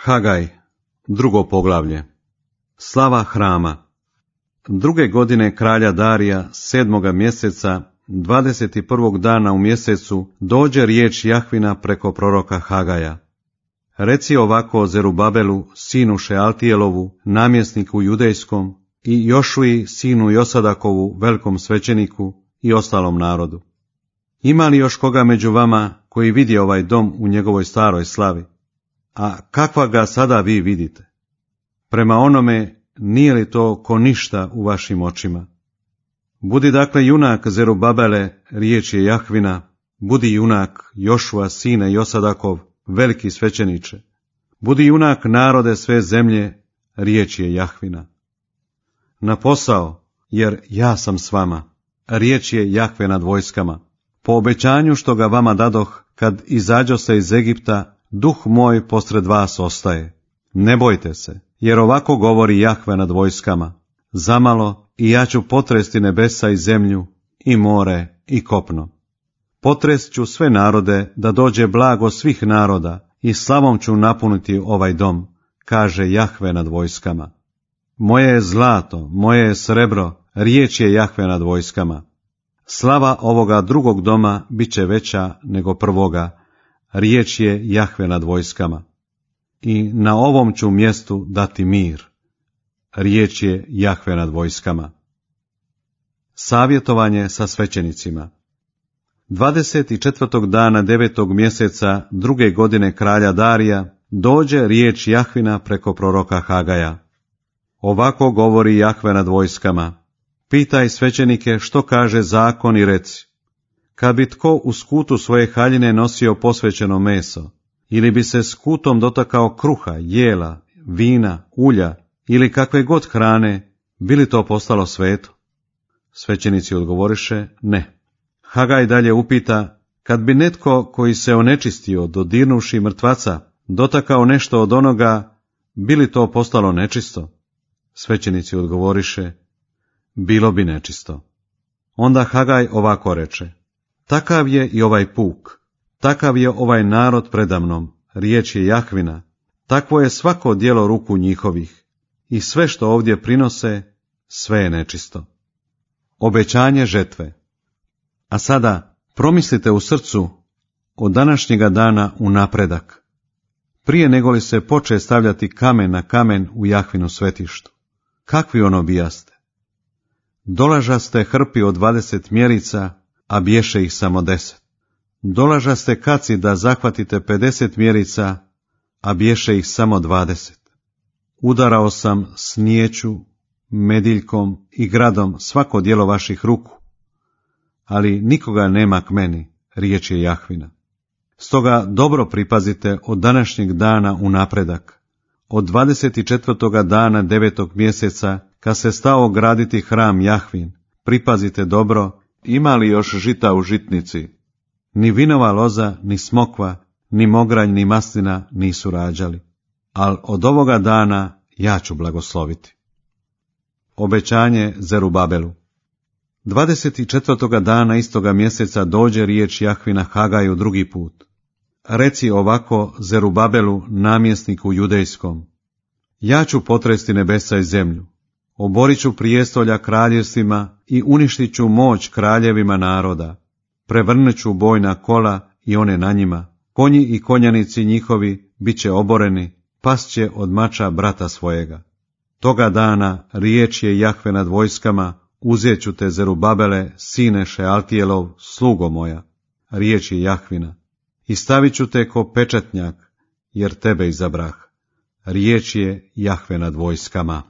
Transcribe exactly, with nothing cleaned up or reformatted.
Hagaj, drugo poglavlje. Slava hrama. Druge godine kralja Darija, sedmoga mjeseca, dvadeset prvog dana u mjesecu, dođe riječ Jahvina preko proroka Hagaja. Reci ovako Zerubabelu, sinu Šealtijelovu, namjesniku judejskom, i Jošuji, sinu Josadakovu, velikom svećeniku, i ostalom narodu. Ima li još koga među vama koji vidi ovaj dom u njegovoj staroj slavi? A kakva ga sada vi vidite? Prema onome, nije li to ko ništa u vašim očima? Budi dakle junak Zerubabele, riječ je Jahvina, budi junak Jošua, sine Josadakov, veliki svećeniče. Budi junak narode sve zemlje, riječ je Jahvina. Na posao, jer ja sam s vama, riječ je Jahve nad vojskama. Po obećanju što ga vama dadoh, kad izađoste iz Egipta, duh moj posred vas ostaje. Ne bojte se, jer ovako govori Jahve nad vojskama. Zamalo i ja ću potresti nebesa i zemlju, i more, i kopno. Potrest ću sve narode, da dođe blago svih naroda, i slavom ću napuniti ovaj dom, kaže Jahve nad vojskama. Moje je zlato, moje je srebro, riječ je Jahve nad vojskama. Slava ovoga drugog doma bit će veća nego prvoga, riječ je Jahve nad vojskama. I na ovom ću mjestu dati mir, riječ je Jahve nad vojskama. Savjetovanje sa svećenicima. dvadeset četvrtog dana devetog mjeseca druge godine kralja Darija dođe riječ Jahvina preko proroka Hagaja. Ovako govori Jahve nad vojskama. Pitaj svećenike što kaže zakon i reci. Kad bi tko u skutu svoje haljine nosio posvećeno meso, ili bi se skutom dotakao kruha, jela, vina, ulja ili kakve god hrane, bi li to postalo sveto? Svećenici odgovoriše, ne. Hagaj dalje upita, kad bi netko koji se onečistio, dodirnuši mrtvaca, dotakao nešto od onoga, bi li to postalo nečisto? Svećenici odgovoriše, bilo bi nečisto. Onda Hagaj ovako reče, takav je i ovaj puk, takav je ovaj narod predamnom, riječ je Jahvina, takvo je svako djelo ruku njihovih, i sve što ovdje prinose, sve je nečisto. Obećanje žetve. A sada promislite u srcu od današnjega dana u napredak, prije nego li se poče stavljati kamen na kamen u Jahvinu svetištu. Kakvi ono bijaste? Dolažaste hrpi od dvadeset mjerica, a biješe ih samo deset. Dolažaste kaci da zahvatite pedeset mjerica, a biješe ih samo dvadeset. Udarao sam snijeću, mediljkom i gradom svako djelo vaših ruku, ali nikoga nema k meni, riječ je Jahvina. Stoga dobro pripazite od današnjeg dana u napredak, od dvadeset četvrtog dana devetog mjeseca, kad se stao graditi hram Jahvin, pripazite dobro, ima li još žita u žitnici. Ni vinova loza, ni smokva, ni mogranj, ni maslina nisu rađali, ali od ovoga dana ja ću blagosloviti. Obećanje Zerubabelu. dvadeset četvrtog dana istoga mjeseca dođe riječ Jahvina Hagaju drugi put. Reci ovako Zerubabelu, namjesniku judejskom. Ja ću potresti nebesa i zemlju, oborit ću prijestolja kraljevstvima i uništit ću moć kraljevima naroda. Prevrnut ću bojna kola i one na njima, konji i konjanici njihovi bit će oboreni, past će od mača brata svojega. Toga dana riječ je Jahve nad vojskama, uzet ću te Zerubabele, sine Šealtijelov, slugo moja, riječ je Jahvina, i stavit ću te ko pečatnjak, jer tebe izabrah, riječ je Jahve nad vojskama.